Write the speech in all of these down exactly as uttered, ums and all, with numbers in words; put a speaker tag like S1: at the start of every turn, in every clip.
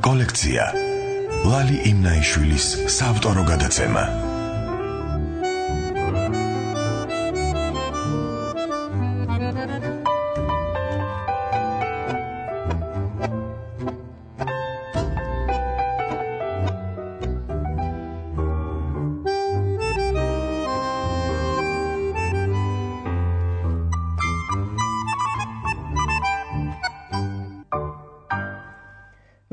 S1: კოლექცია ლალი იმნაიშვილის საავტორო გადაცემა.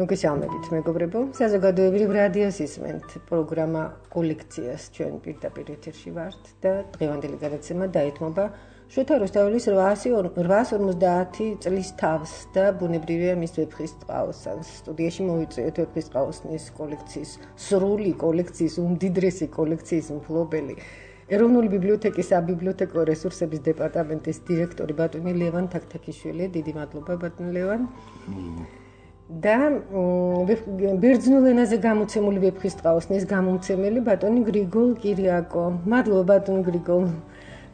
S2: მოგესალმებით მეგობრებო, საზოგადოებრივ რადიოს ისმენთ პროგრამა კოლექციას ჩვენ პირდაპირ ეთერში ვართ და დღევანდელი გადაცემა დაეთმობა შოთა რუსთაველის ოთხასი ორმოცდაათი წლის თავს და ბუნებრივია მის ვეფხისტყაოსანს. სტუდიაში მოვიწვიეთ ვეფხისტყაოსნის კოლექციის სრული კოლექციის უმდიდრესი კოლექციის მფლობელი ეროვნული ბიბლიოთეკის საბიბლიოთეკო რესურსების დეპარტამენტის დირექტორი ბატონი ლევან თაქთაქიშვილი. დიდი მადლობა ბატონ ლევან. და ბერძნულ ენაზე გამოცემული ვეფხისტყაოსნის გამომცემელი ბატონი გრიგოლ კირიაკო. მადლობა ბატონ გრიგოლ.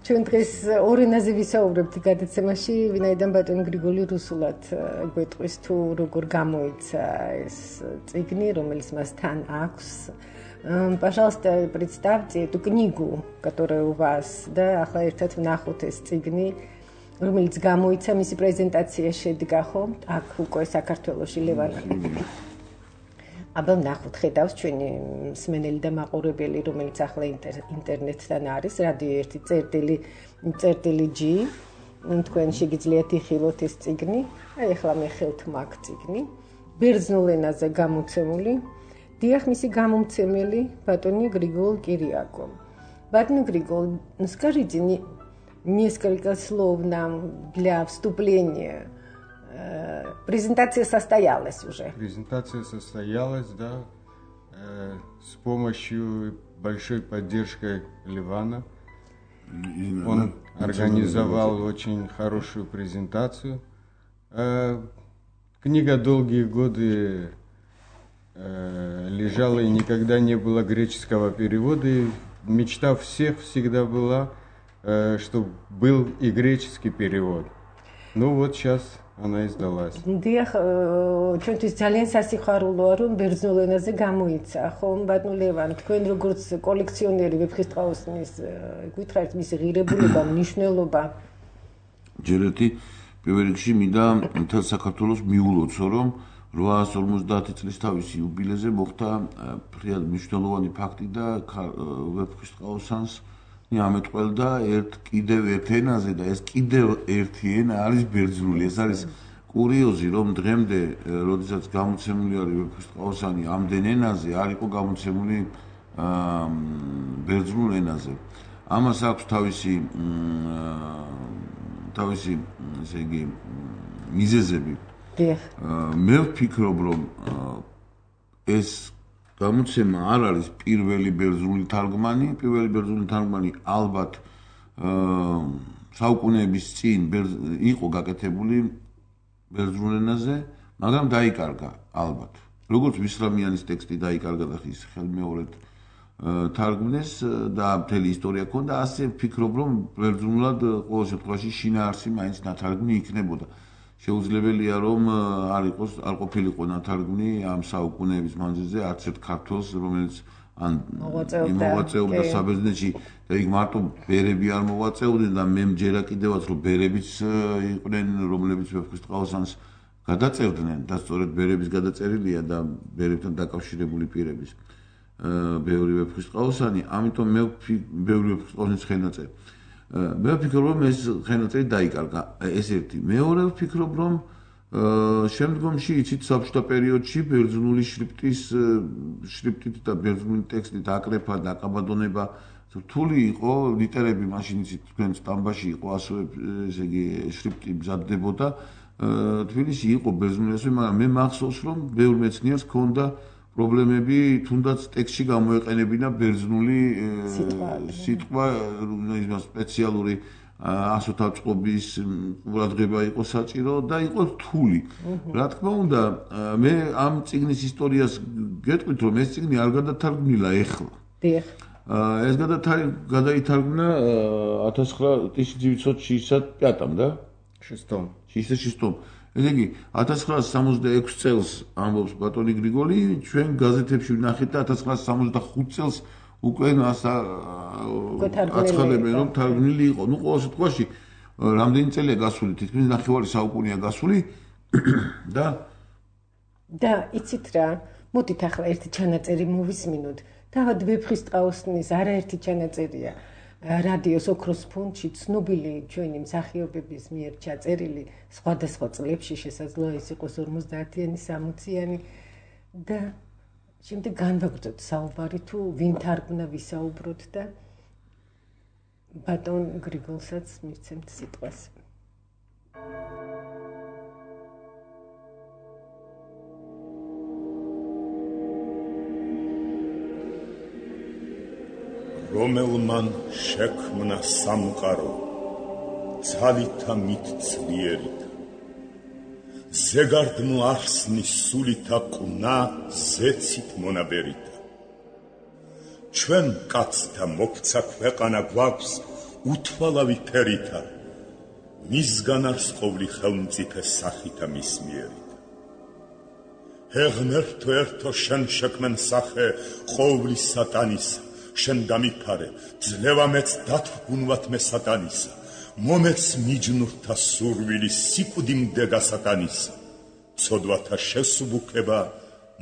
S2: ჩვენ დღეს ორ ენაზე ვისაუბრებთ გადაცემაში, ვინაიდან ბატონი григоли რუსულად გვეტყვის თუ როგორ გამოიცა ეს წიგნი, რომელიც მას თან აქვს. Пожалуйста, представьте эту книгу, которая у вас, да, ახლა ერთად ვნახოთ ეს წიგნი. რომელიც გამოიცა მისი პრეზენტაცია შედგა ხო აქ უკვე საქართველოში ლევან აბა ნახოთ ხედავს ჩვენი მსმენელი და მაყურებელი რომელიც ახლა ინტერნეტთან არის რადიო ერთი წერტილი წერტილი G თქვენ შეგიძლიათ იხილოთ ეს წიგნი აი ახლა მე ხელთ მაგ წიგნი ბერძნულ ენაზე გამოცემული დიახ მისი გამომცემელი ბატონი გრიგოლ კირიაკო ბატონი გრიგოლ скажите несколько слов нам для вступления. Презентация состоялась уже.
S3: Презентация состоялась, да, э, с помощью большой поддержкой Левана. Он организовал очень хорошую презентацию. Э, книга долгие годы э, лежала и никогда не было греческого перевода. И мечта всех всегда была, чтобы был и греческий перевод. Ну вот сейчас она издалась.
S2: Дიახ, ჩვენთვის ძალიან სასიხარულოა, რომ ბერძნულ ენაზე გამოიცა. ხომ, ბატონ ლევან, თქვენ როგორც კოლექციონერი ვეფხისტყაოსნის გითხრათ მისი ღირებულება, მნიშვნელობა.
S4: ჯერ ერთი პირველ რიგში მინდა მთელ საქართველოს მიულოცო, რომ ოთხასი ორმოცდაათი წლის თავისი იუბილეზე მოხდა ფრიად მნიშვნელოვანი ფაქტი და ვეფხისტყაოსანს ამეთყველდა ერთ კიდევ ერთ ენაზე და ეს კიდევ ერთი ენა არის ბერძნული. ეს არის კურიოზი, რომ დღემდე, როდესაც გამოცემული არის ვეფხისტყაოსანი ამდენ ენაზე, არ იყო გამოცემული ბერძნულ ენაზე. ამას აქვს თავისი თავისი, ესე იგი, მიზეზები. მე ვფიქრობ, რომ ეს გამოცემა არ არის პირველი ბერძნული თარგმანი, პირველი ბერძნული თარგმანი ალბათ საუკუნეების წინ იყო გაკეთებული ბერძნულ ენაზე, მაგრამ დაიკარგა ალბათ. როგორც ვისრამიანის ტექსტი დაიკარგა და ის ხელმეორედ თარგმნეს და მთელი ისტორია ჰქონდა, ასე ვფიქრობ, რომ ბერძნულად ყოველ შემთხვევაში შინაარსი მაინც ნათარგმნი იქნებოდა. შეუძლებელია რომ არ იყოს არ ყოფილიყო ნათარგმნი ამ საუკუნეების მანძილზე არც ერთ ქართველს რომელიც ან მოვაწეობდა საბერძნეთში და იქ მარტო ბერები არ მოვაწეოდნენ და მე მჯერა კიდევაც რომ ბერებიც იყვნენ რომლებიც ვეფხისტყაოსანს გადაწერდნენ და სწორედ ბერების გადაწერილია და ბერებთან დაკავშირებული პირების ბევრი ვეფხისტყაოსანი ამიტომ მე ბევრი ვეფხისტყაოსნის ხელნაწერი მე ვფიქრობ რომ ეს ხელნაწერი დაიკარგა ეს ერთი მეორე ვფიქრობ რომ შემდგომში იცით საბჭოთა პერიოდში ბერძნული შრიფტის შრიფტით და ბერძნული ტექსტით აკრეფა და აკაბადონება რთული იყო ლიტერები მაშინ იცით თქვენ სტამბაში იყო ასევე ესე იგი შრიფტი მზადდებოდა თბილისში იყო ბერძნული ასე მაგრამ მე მახსოვს რომ ბევრ მეცნიერს ჰქონდა პრობლემები თუნდაც ტექსტში გამოეყენებინა ბერძნული სიტყვა ის სპეციალური ასოთაწყობის ყურადღება იყო საჭირო და იყო რთული. რა თქმა უნდა, მე ამ წიგნის ისტორიას გეტყვით, რომ ეს წიგნი არ გადათარგმნილა ეხლა.
S2: დიახ.
S4: ეს გადაითარგმნა тысяча девятьсот шестьдесят пятом, да?
S3: шестом.
S4: шестьдесят шестом. ესე იგი ათას ცხრაას სამოცდაექვსი წელს ამბობს ბატონი გრიგოლი, ჩვენ გაზეთებში ვნახეთ და ათას ცხრაას სამოცდახუთი წელს უკვე აცხადებენ რომ თარგმნილი იყო. ნუ ყოველ შემთხვევაში რამდენი წელია გასული, თითქმის ნახევარი საუკუნეა გასული და
S2: და იცით რა, მოდით ახლა ერთი ჩანაწერი მოვისმინოთ. თავად ვეფხისტყაოსნის არაერთი ჩანაწერია რადიოს ოქროს ფონდში ცნობილი ჩვენი მსახიობების მიერ ჩაწერილი სხვადასხვა წლებში, შესაძლოა ის იყოს ორმოცდაათიანი, სამოციანი და შემდეგ განვაგრძოთ საუბარი თუ ვინ თარგმნა ვისაუბროთ და ბატონ გრიგოლსაც მივცემთ სიტყვას.
S5: რომელმან შექმნა სამყარო ძალითა მით ძლიერითა ზეგარდნო არსნის სულითა ყნა ზეცით მონაბერითა ჩვენ კაცთა მოქცა ქვეყანა გვაქვს უთვალავი ფერითა მისგან არს ყოვლი ხელმწიფე სახითა მის მიერითა ჰეღნერთო ერთო შენ შექმენ სახე ყოვლი სატანისა შენ გამიფარე ძლევა მეც დათრგუნვათ მე სატანისა მომეც მიჯნურთა სურვილი სიკვდი მდეგა სატანისა ცოდვათა შესუბუქება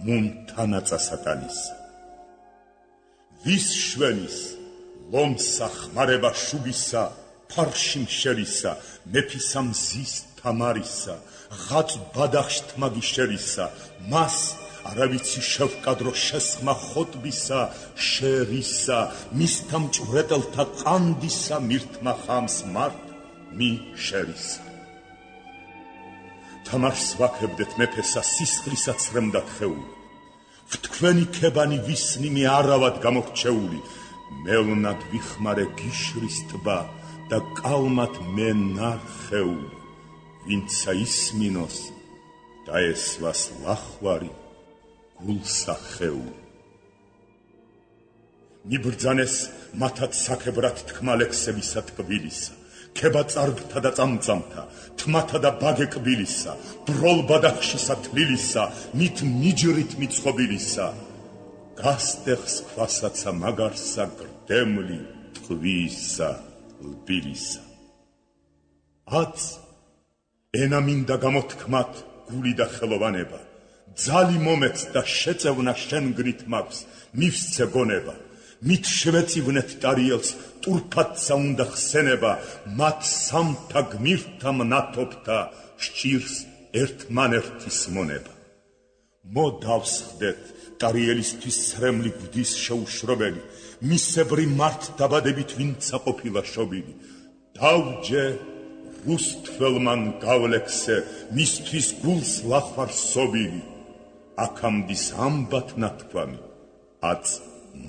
S5: მუნ თანაწა სატანისა ვის შვენის ლომსა ხმარება შუბისა ფარში მშერისა მეფისა მზის თამარისა ღაც ბადახშ თმაგი შერისა მას არავიცი შევკადრო შესხმა ხოტბისა შერისა მისთა მჭვრეტელთა ყანდისა მირთმა ხამს მართ მი შერისა თამარს ვაქებდეთ მეფესა სისხლისა ცრემდა თხეული ვთქვენი ქებანი ვისნი მე არავად გამორჩეული მელნად ვიხმარე გიშრის ტბა და კალმად მე ნარხეული ვინცა ისმინოს დაესვას ლახვარი გულსახეული მიბრძანეს მათად საქებრად თქმა ლექსებისა ტკბილისა ქება წარბთა და წამწამთა თმათა და ბაგეკბილისა ბროლ ბადახშისა თლილისა მით მიჯრით მიწყობილისა გასტეხს ქვასაცა მაგარსა გრდემლი ტყვისა ლბილისა აც ენა მინდა გამოთქმათ გული და ხელოვანება ძალი მომეც და შეწევნა შენგნით მაქვს მივსცე გონება მით შევეწივნეთ ტარიელს ტურფათსა უნდა ხსენება მათ სამთა გმირთა მნათობთა სჭირს ერთმანერთის მონება მოდავსხდეთ ტარიელისთვის სრემლი გვდის შეუშრობელი მისებრი მართ დაბადებით ვინცა ყოფილა შობილი დავჯე რუსთველმან გავლექსე მისთვის გულს ლახვარ სობილი აქამდის ამბათ ნათქვამი აც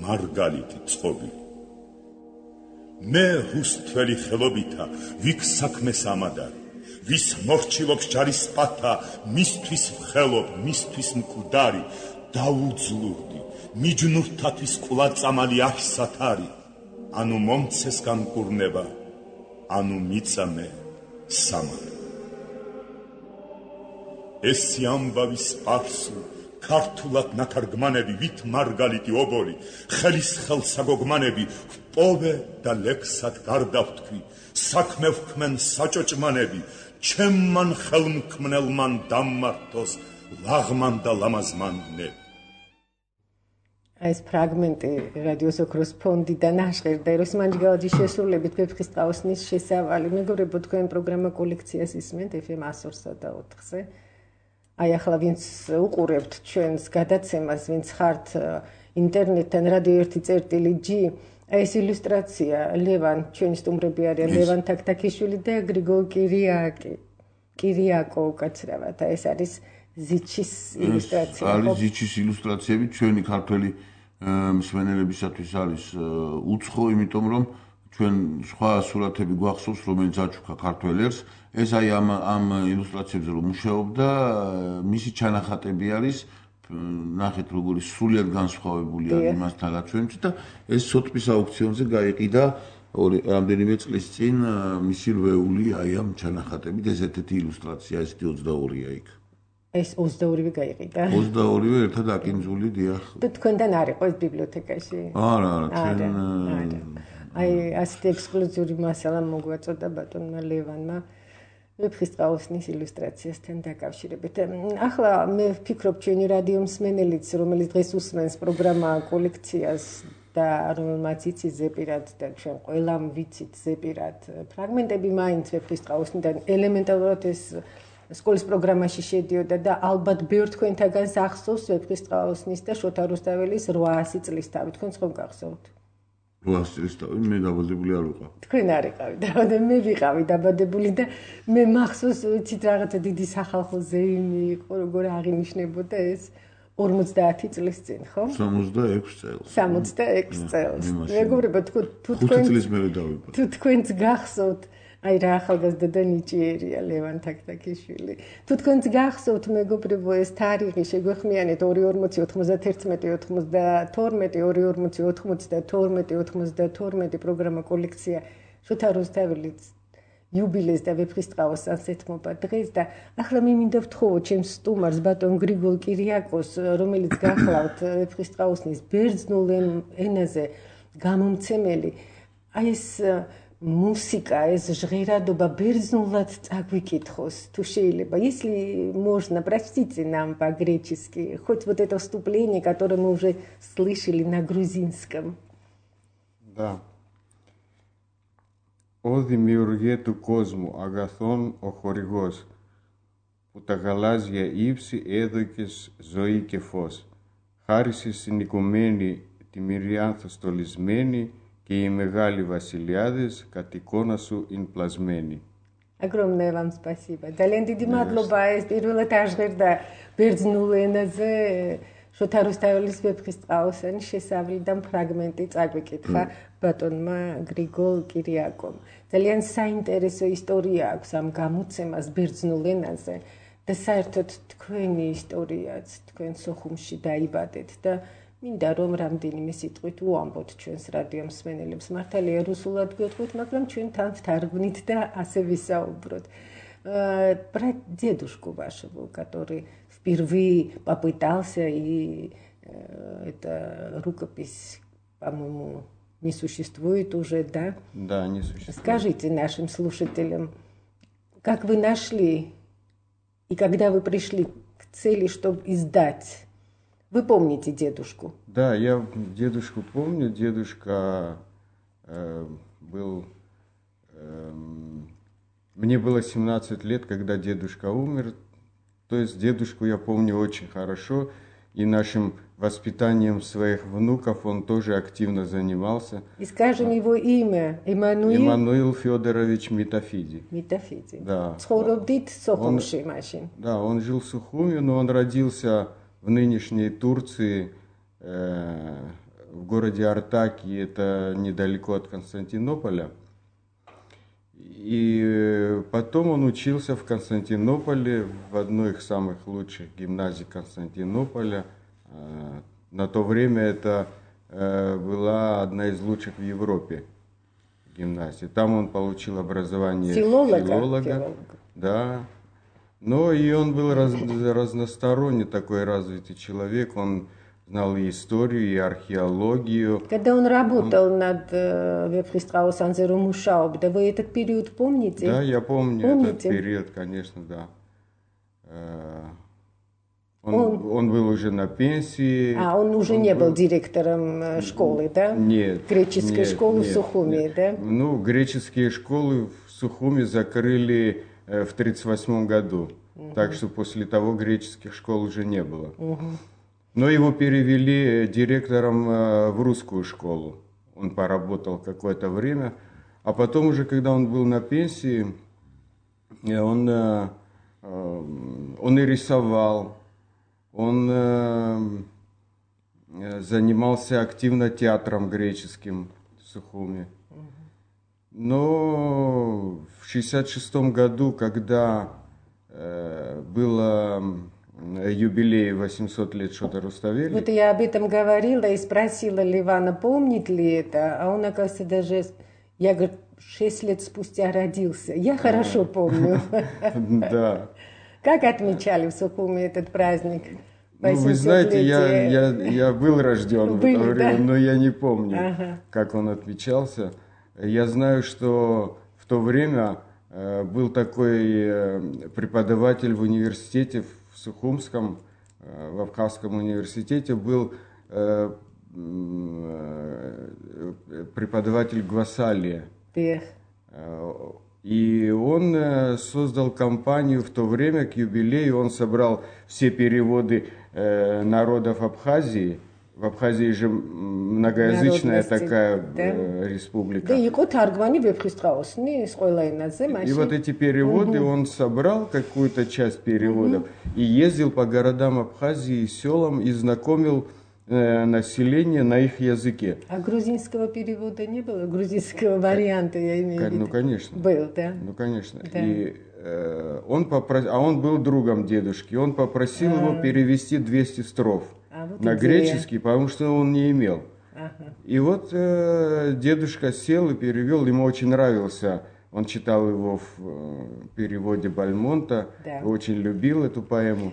S5: მარგალიტი წყობილი მე რუსთველი ხელობითა ვიქ საქმეს ამადარი ვის მორჩილობს ჯარის პათა მისთვის ვხელობ მისთვის მკვდარი დაუძლურდი მიჯნურთათვის ყვლაწამალი არსათარი ანუ მომცეს განკურნება ანუ მიწამე სამარი ესი ამბავი სპარსული ქართულად ნათარგმანები ვით მარგალიტი ობოლი ხელის ხელსაგოგმანები პოვე და ლექსად გარდავთქვი საქმე ვქმენ საჭოჭმანები ჩემმან ხელმქმნელმან დამმართოს ლაღმან და ლამაზმანნები
S2: ეს ფრაგმენტი რადიოს ოქროს ფონდიდან აშღერდა ეროსმან ჯგალაძის შესრულებით ვეფხისტყაოსნის შესავალი მეგობრებო თქვენ პროგრამა კოლექციას ისმენთ ეფ ემ one oh three point four-ზე აი ახლა ვინც უყურებთ ჩვენს გადაცემას ვინც ხართ ინტერნეტთან რადიო ერთი წერტილი ჯი ეს ილუსტრაცია ლევან ჩვენი სტუმრები არიან ლევან თაქთაქიშვილი და გრიგოლ კირიაკი კირიაკო უკაცრავად ეს არის ზიჩის ილუსტრაცია
S4: არის ზიჩის ილუსტრაციები ჩვენი ქართველი მსმენელებისათვის არის უცხო იმიტომ რომ ჩვენ სხვა სურათები გვახსოვს რომელიც აჩუქა ქართველებს ეს აი ამ ამ ილუსტრაციებზე რომ მუშაობდა მისი ჩანახატები არის ნახეთ როგორი სრულიად განსხვავებული არის იმასთან რაც ჩვენ და ეს სოტბის აუქციონზე გაიყიდა რამდენიმე წლის წინ მისი რვეული აი ამ ჩანახატებით ეს ერთ-ერთი ილუსტრაცია ესეთი ოცდაორია იქ.
S2: ეს ოცდაორივე გაიყიდა.
S4: ოცდაორივე ერთად აკინძული დიახ.
S2: და თქვენთან არ იყო ეს ბიბლიოთეკაში?
S4: არა, არა, ჩვენ
S2: აი ასეთი ექსკლუზიური მასალა მოგვაწოდა ბატონმა ლევანმა ვეფხისტყაოსნის ილუსტრაციასთან დაკავშირებით. ახლა მე ვფიქრობ ჩვენი რადიო მსმენელიც, რომელიც დღეს უსმენს პროგრამა კოლექციას და რომელმაც იცის ზეპირად და ჩვენ ყველამ ვიცით ზეპირად ფრაგმენტები მაინც ვეფხისტყაოსნიდან ელემენტარულად ეს სკოლის პროგრამაში შედიოდა და ალბათ ბევრ თქვენთაგანს ახსოვს ვეფხისტყაოსნის და შოთა რუსთაველის რვაასი წლის თავი. თქვენს ხომ გახსოვთ?
S4: რვაასი წლის თავი მე დაბადებული არ ვიყავ.
S2: თქვენ არ იყავით, და მე ვიყავი დაბადებული და მე მახსოვს ვიცით რაღაცა დიდი სახალხო ზეიმი იყო, როგორ აღინიშნებოდა ეს ორმოცდაათი წლის წინ, ხო?
S4: სამოცდაექვსი წელს.
S2: სამოცდაექვსი წელს. მეგობრებო, თუ
S4: ხუთი წლის მერე დავიბადე.
S2: თუ თქვენც გახსოვთ აი რა ახალგაზრდა და ნიჭიერია ლევან თაქთაქიშვილი. თუ თქვენც გახსოვთ მეგობრებო ეს თარიღი შეგვეხმიანეთ ორი ორმოცი ოთხმოცდათერთმეტი ოცდათორმეტი ორი ორმოცი ოთხმოცდათორმეტი ოცდათორმეტი პროგრამა კოლექცია შოთა რუსთაველის იუბილეს და ვეფხისტყაოს ასეთმობა დღეს და ახლა მე მინდა ვთხოვო ჩემს სტუმარს ბატონ გრიგოლ კირიაკოს რომელიც გახლავთ ვეფხისტყაოსნის ბერძნულ ენაზე გამომცემელი აი ეს музыка, ეს ჟღერადობა ბერძნულად წაგვიკითხოს, თუ შეიძლება. Если можно, простите нам по-гречески, хоть вот это вступление, которое мы уже слышали на грузинском.
S3: Да. Ο δημιουργέ του κόσμου, αγαθόν ο χορηγός, που τα γαλάζια ύψη έδωκες ζωή και φως. Χάρισες στην οικουμένη τη μυριάνθο στολισμένη, και οι μεγάλοι βασιλιάδες κατ' εικόνα σου είναι πλασμένοι.
S2: Огромное вам спасибо. ძალიან დიდი მადლობა ეს პირველად აღჟღერდა ბერძნულ ენაზე შოთა რუსთაველის ვეფხისტყაოსნის შესავლი და ფრაგმენტი წაგვიკითხა ბატონმა გრიგოლ კირიაკომ. ძალიან საინტერესო ისტორია აქვს ამ გამოცემას ბერძნულ ენაზე და საერთოდ თქვენი ისტორიაც თქვენ სოხუმში დაიბადეთ და მინდა რომ რამდენიმე სიტყვით უამბოთ ჩვენს რადიო მსმენელებს. მართალია რუსულად გვეტყვით, მაგრამ ჩვენ თან ვთარგმნით და ასე висауброт. Про дедушку вашего, который впервые попытался и это рукопись, по-моему, не существует уже, да?
S3: Да, не существует.
S2: Скажите нашим слушателям, как вы нашли и когда вы пришли к цели, чтобы издать? Вы помните дедушку?
S3: Да, я дедушку помню. Дедушка э, был... Э, мне было семнадцать лет, когда дедушка умер. То есть дедушку я помню очень хорошо. И нашим воспитанием своих внуков он тоже активно занимался.
S2: И скажем его имя. Иммануил?
S3: Иммануил Федорович Митофиди.
S2: Митофиди.
S3: Да.
S2: Цхоробдит Сохумши машин.
S3: Да, он жил в Сухуми, но он родился в нынешней Турции, э, в городе Артаки, это недалеко от Константинополя. И потом он учился в Константинополе, в одной из самых лучших гимназий Константинополя. На то время это была одна из лучших в Европе гимназий. Там он получил образование
S2: филолога.
S3: филолога. Да. Но и он был раз, разносторонний такой развитый человек. Он знал и историю, и археологию.
S2: Когда он работал он... над Вефхистраусанзе Румушауб, да вы этот период помните?
S3: Да, я помню
S2: помните?
S3: этот период, конечно, да. Он, он... он был уже на пенсии.
S2: А, он уже он не был... был директором школы, да?
S3: Нет.
S2: Греческой
S3: нет,
S2: школы
S3: нет,
S2: в Сухуми,
S3: нет.
S2: да?
S3: Ну, греческие школы в Сухуми закрыли в тридцать восьмом году. Угу. Так что после того греческих школ уже не было.
S2: Угу.
S3: Но его перевели директором в русскую школу. Он поработал какое-то время. А потом уже, когда он был на пенсии, он, он и рисовал. Он занимался активно театром греческим в Сухуми. Но в шестьдесят шестом году, когда э, было юбилей восемьсот лет Шота Руставели...
S2: Вот я об этом говорила и спросила Левана, помнит ли это, а он, оказывается, даже Я, говорит, шесть лет спустя родился. Я хорошо помню.
S3: Да.
S2: Как отмечали в Сухуми этот праздник?
S3: Ну, вы знаете, я, я, я был рожден в это время, но я не помню, ага. как он отмечался. Я знаю, что в то время э, был такой э, преподаватель в университете в Сухумском, э, в Абхазском университете, был э, э, преподаватель Гвасалия. Э, и он э, создал компанию в то время к юбилею, он собрал все переводы э, народов Абхазии. В Абхазии же многоязычная такая да? республика.
S2: Да, и вот
S3: эти переводы угу. он собрал, какую-то часть переводов, угу. и ездил по городам Абхазии и селам и знакомил э, население на их языке.
S2: А грузинского перевода не было? Грузинского варианта, я имею в виду?
S3: Ну, конечно.
S2: Был, да?
S3: Ну, конечно. Да. И э, он попросил, а он был другом дедушки, он попросил а. его перевести двести строф. А вот на идея. Греческий, потому что он не имел. Ага. И вот э, дедушка сел и перевел, ему очень нравился, он читал его в э, переводе Бальмонта, да. очень любил эту поэму.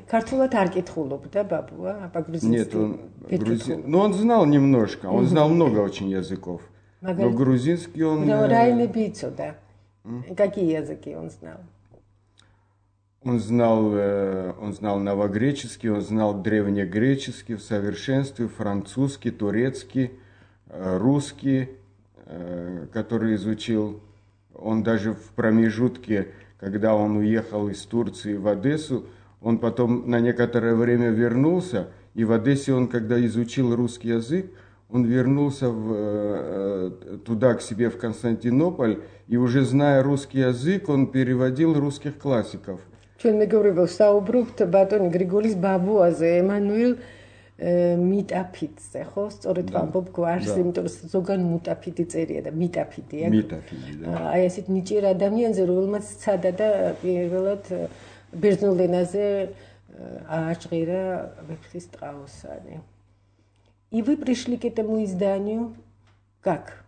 S3: Нет, он грузин, но он знал немножко, он знал много очень языков, но грузинский он...
S2: Да. Какие языки он знал?
S3: Он знал, он знал новогреческий, он знал древнегреческий в совершенстве, французский, турецкий, русский, который изучил. Он даже в промежутке, когда он уехал из Турции в Одессу, он потом на некоторое время вернулся, и в Одессе он, когда изучил русский язык, он вернулся в, туда, к себе, в Константинополь, и уже зная русский язык, он переводил русских классиков.
S2: ჩვენ მეგობრებო საუბრობთ ბატონი გრიგოლის ბაბუაზე, ემანუელ მიტაფიტზე, ხო? სწორედ ვამბობ გვარს, იმიტომ რომ ზოგან მუტაფიტი წერია და მიტაფიტია.
S3: მიტაფიტი, და.
S2: აი ესეთ ნიჭიერ ადამიანზე, რომელმაც სცადა და პირველად ბერძნულ ენაზე ააჭღირა ვეფხის ტყაოსანი. И вы пришли к этому изданию как?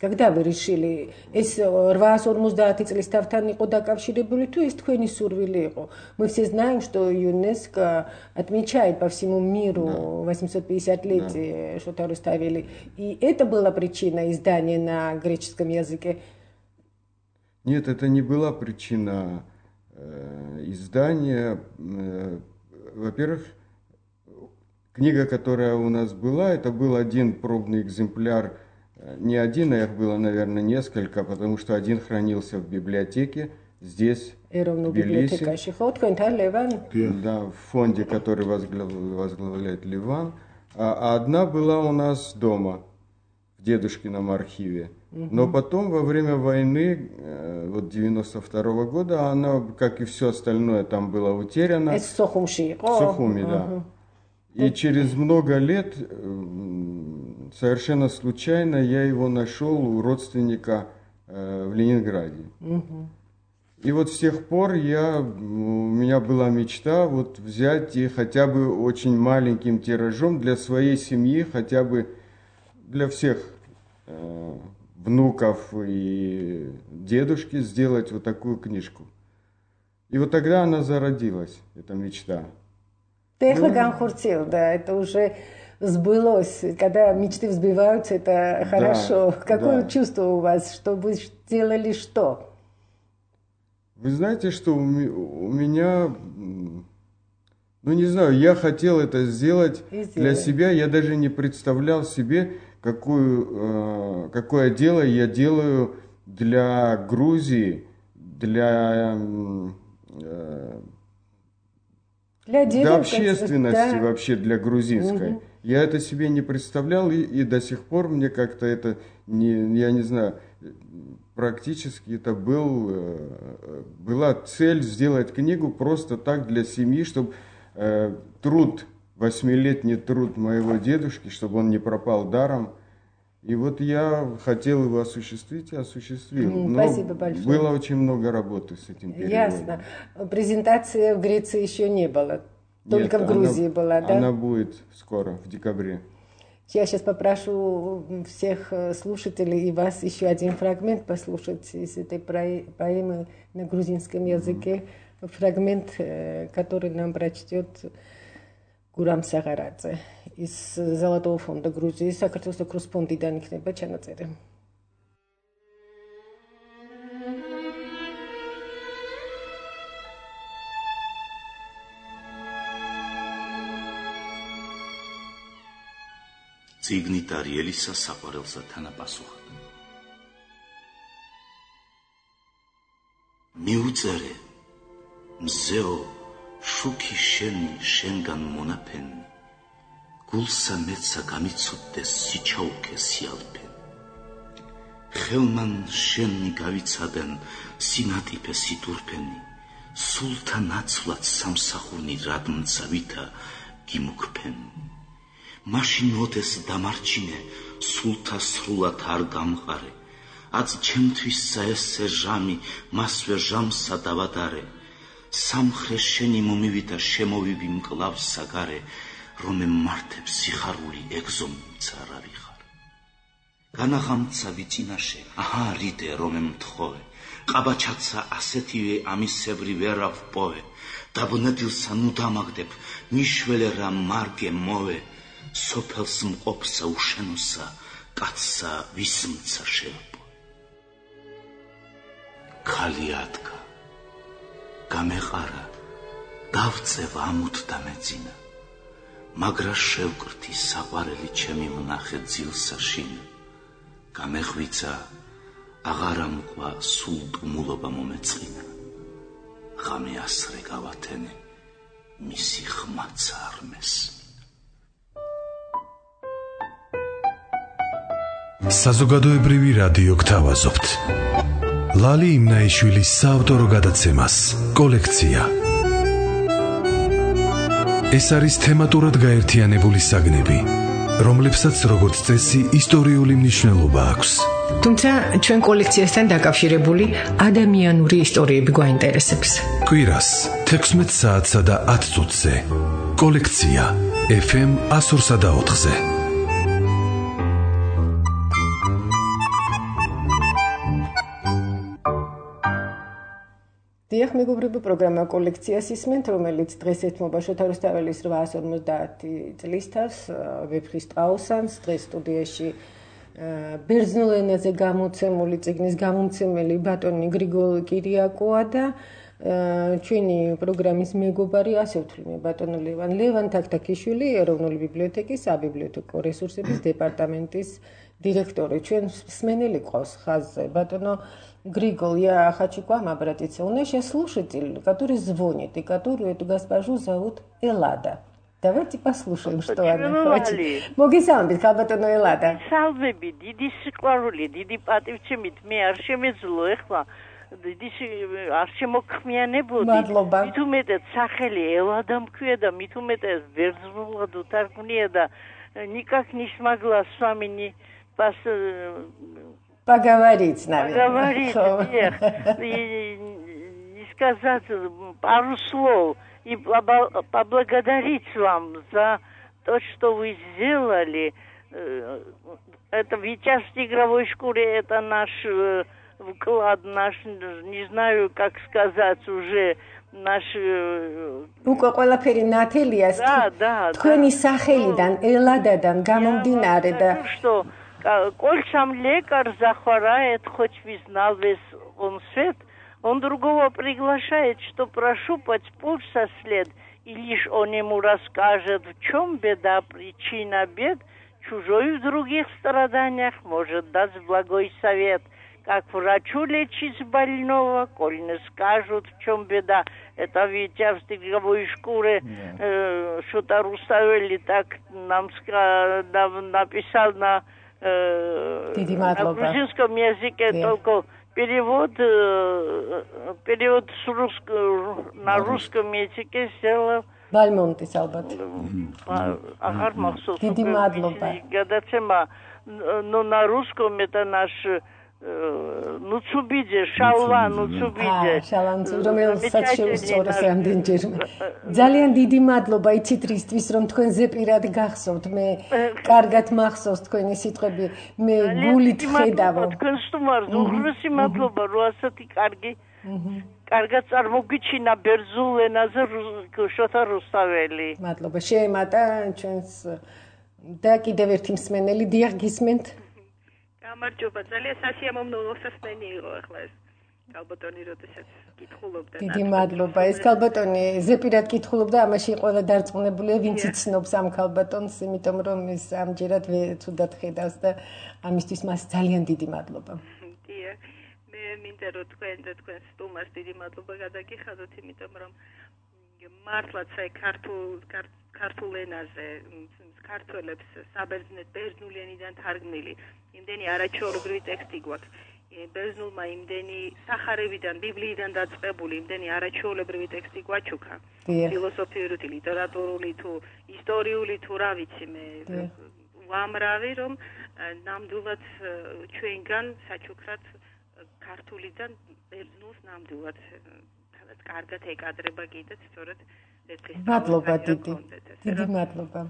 S2: Когда вы решили, ეს восемьсот пятьдесят წლის თავთან იყო დაკავშირებული თუ ეს თქვენი სურვილი იყო? Мы все знаем, что ЮНЕСКО отмечает по всему миру восемьсот пятидесятилетие Шота Руставели. И это была причина издания на греческом языке?
S3: Нет, это не была причина э, издания. Э, во-первых, книга, которая у нас была, это был один пробный экземпляр. Не один, а их было, наверное, несколько, потому что один хранился в библиотеке здесь, в Тбилиси. Да, в фонде, который возглавляет Ливан. А одна была у нас дома, в дедушкином архиве. Но потом, во время войны, вот девяносто второго года, она, как и все остальное, там было утеряно. В Сухуми, да. И через много лет, совершенно случайно, я его нашел у родственника э, в Ленинграде. Угу. И вот с тех пор я, у меня была мечта вот взять и хотя бы очень маленьким тиражом для своей семьи, хотя бы для всех э, внуков и дедушки сделать вот такую книжку. И вот тогда она зародилась, эта мечта.
S2: Да, это уже сбылось. Когда мечты взбиваются, это хорошо. Да, какое да. чувство у вас, что вы сделали что?
S3: Вы знаете, что у меня, ну не знаю, я хотел это сделать для себя. Я даже не представлял себе, какую, какое дело я делаю для Грузии, для... Для, для общественности, да. вообще для грузинской. Угу. Я это себе не представлял, и, и до сих пор мне как-то это, не, я не знаю, практически это был, была цель сделать книгу просто так для семьи, чтобы э, труд, восьмилетний труд моего дедушки, чтобы он не пропал даром. И вот я хотел его осуществить и осуществил.
S2: Mm,
S3: Но
S2: спасибо большое.
S3: Было очень много работы с этим переводом.
S2: Ясно. Презентация в Греции еще не было. Только Нет, в Грузии
S3: она,
S2: была, да?
S3: Она будет скоро, в декабре.
S2: Я сейчас попрошу всех слушателей и вас еще один фрагмент послушать из этой поэмы на грузинском языке. Фрагмент, который нам прочтет Гурам Сагарадзе из Золотого фонда Грузии, საქართველოს კრუსფონდიდან იქნება ჩანაწერი.
S6: წიგნით არიელისა საყვარელსა თანაპასუხად. მიუწერე მზეო შუქი შენი შენგან მონაფენ გულსა მეცა გამიცოდდეს სიჩაუქე სიალფენ ხელმან შენი გავიცადენ სინატიფე სიტურფენი სულთა ნაცვლად სამსახურნი რადმცა ვითა გიმუქფენ მაშინ მოდეს დამარჩინე სულთა სრულად არ გამყარე აც ჩემთვის საესე ჟამი მასვე ჟამსა დავადარე სამხრე შენი მომივიდა შემოვივი მკლავს საგარე რომემ მართებს სიხარული ეგზომცა რა ვიხარ განაღამცა ვიწინაშე აჰა რიდე რომემ მთხოვე ყაბაჩაცა ასეთივე ამისებრი ვერა ვპოვე დაბუნებილსა ნუ დამაგდებ ნიშველე რა მარგე მოვე სოფელს მყოფსა უშენოსა კაცსა ვისმცა შევპო ქალი ადგა გამეყარა დავწევ ამუთ და მეძინა მაგრა შევკრთი საყვარელი ჩემი ვნახე ძილსა შინა გამეხვიცა აღარა მყვა სულ ტუმულობა მომეწყინა ღამე ასრე გავათენე მისი ხმაცა არ მესმინა
S1: საზოგადოებრივი რადიო გთავაზობთ ლალი იმნაიშვილის საავტორო გადაცემას კოლექცია ეს არის თემატურად გაერთიანებული საგნები რომლებსაც როგორც წესი ისტორიული მნიშვნელობა აქვს
S2: თუმცა ჩვენ კოლექციასთან დაკავშირებული ადამიანური ისტორიები გვაინტერესებს
S1: კვირას თექვსმეტ საათსა და ათ წუთზე კოლექცია ეფ ემ one oh four და four-ზე
S2: დიახ, მეგობრებო, პროგრამა კოლექციას ისმენთ, რომელიც დღეს ეთმობა შოთა რუსთაველის orytmets cinquanta წლის თავს, ვეფხისტ ყაოსანს, დღეს სტუდიაში ბერძნულ ენაზე გამოცემული წიგნის გამომცემელი ბატონი გრიგოლ კირიაკოა და ჩვენი პროგრამის მეგობარი ასე ვთვლი ბატონო ლევან ლევან თაქთაქიშვილი ეროვნული ბიბლიოთეკის საბიბლიოთეკო რესურსების დეპარტამენტის директоры. Ჩვენ сменили ყავს ხაზზე. Бატონო Григол, я хочу к вам обратиться. У нас сейчас слушатель, который звонит, и которую эту госпожу зовут Эллада. Давайте послушаем, что она хочет. Мოგესალმებით, ხალბატონო Ელადა.
S7: Სალვები, დიდი სიყვარული, დიდი პატივცემით მე არ შემეძლო ეხლა. დიდი არ შემოქმიანებოდი.
S2: მადლობა.
S7: მით უმეტეს სახელი ელადა მქვია და მით უმეტეს ბერძნულად უთარგმნია და никак не смогла с вами не пос...
S2: поговорить, наверное.
S7: Поговорить, эх, и, и сказать пару слов и поблагодарить вам за то, что вы сделали. Это в части игровой шкуре, это наш вклад, наш, не знаю, как сказать уже, наш...
S2: უკვე ყველაფერი ნათელია თქვენი სახელიდან, ელადადან გამომდინარე და
S7: что кольцам лекарь захворает, хоть вы знал весь он свет, он другого приглашает, что прощупать пульс со след, и лишь он ему расскажет, в чем беда, причина бед, чужой в других страданиях может дать благой совет. Как врачу лечить больного, коль не скажут, в чем беда. Это Витя в стекловой шкуре, э, что-то Руставели так нам ска- написал на, э, на грузинском языке, yeah. Только перевод, э, перевод с русского, на русском языке сделал.
S2: Бальмонтис ალბათ.
S7: Ахар махсус.
S2: Დიდი მადლობა.
S7: Гадაცема, но на русском это наш ნუცუბიძე, შალვა ნუცუბიძე.
S2: შალვა, რომელსაც შეუსწორეს რამდენჯერმე. ძალიან დიდი მადლობა იცით რისთვის, რომ თქვენ ზეპირად გახსოვთ. მე კარგად მახსოვს თქვენი სიტყვები. მე გულით ხედავ.
S7: თქვენ სტუმარს უღრმესი მადლობა, რომ ასეთი კარგი კარგად წარმოგიჩინა ბერძნულ ენაზე შოთა რუსთაველი.
S2: მადლობა. შეემატა ჩვენს და კიდევ ერთი მსმენელი დიახ გისმენთ.
S8: გამარჯობა, ძალიან სასიამოვნო მოსასმენი იყო ახლა ეს კალბატონი, როდესაც კითხულობდა.
S2: დიდი მადლობა. ეს კალბატონი ზეპირად კითხულობდა, ამაში ყველა დარწმუნებულია, ვინც იცნობს ამ კალბატონს, იმიტომ რომ ის ამჯერად ცუდად ხედავს და ამისთვის მას ძალიან დიდი მადლობა.
S8: დიახ, მე მინდა რომ თქვენ და თქვენ სტუმარს დიდი მადლობა გადაგიხადოთ, იმიტომ რომ მართლაც აი ქართულ ქართულ ენაზე ქართველებს საბერძნეთ ბერძნული ენიდან თარგმნილი იმდენი არაჩვეულებრივი ტექსტი გვაქვს. ბერძნულმა იმდენი სახარებიდან, ბიბლიიდან დაწყებული იმდენი არაჩვეულებრივი ტექსტი გვაჩუქა. ფილოსოფიური, ლიტერატურული თუ ისტორიული თუ რა ვიცი მე უამრავი რომ ნამდვილად ჩვენგან საჩუქრად ქართულიდან ბერძნულს ნამდვილად თავად კარგად ეკადრება კიდეც სწორედ
S2: მადლობა დიდი. დიდი мадлоба.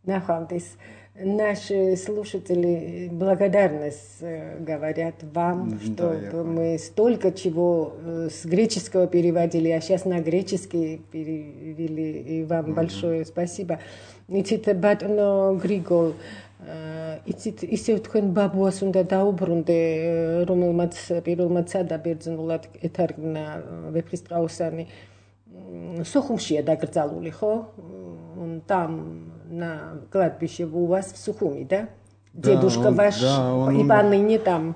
S2: Нахвамтис. Наши слушатели благодарность говорят вам, что мы столько чего с греческого переводили, а сейчас на греческий перевели, и вам большое спасибо. Იცით ბატონო გრიგოლ, იცით ისევ თქვენ ბაბუას უნდა დაუბრუნდე, რომელმაც პირველმაც სადა ბერძნულად ეთარგმნა ვეფხისტყაოსანი. Сухумшия дагрзалули, хо? Он там на кладбище у вас в Сухуми, да?
S3: Да,
S2: Дедушка
S3: он,
S2: ваш
S3: да, он
S2: и
S3: умер.
S2: поныне там.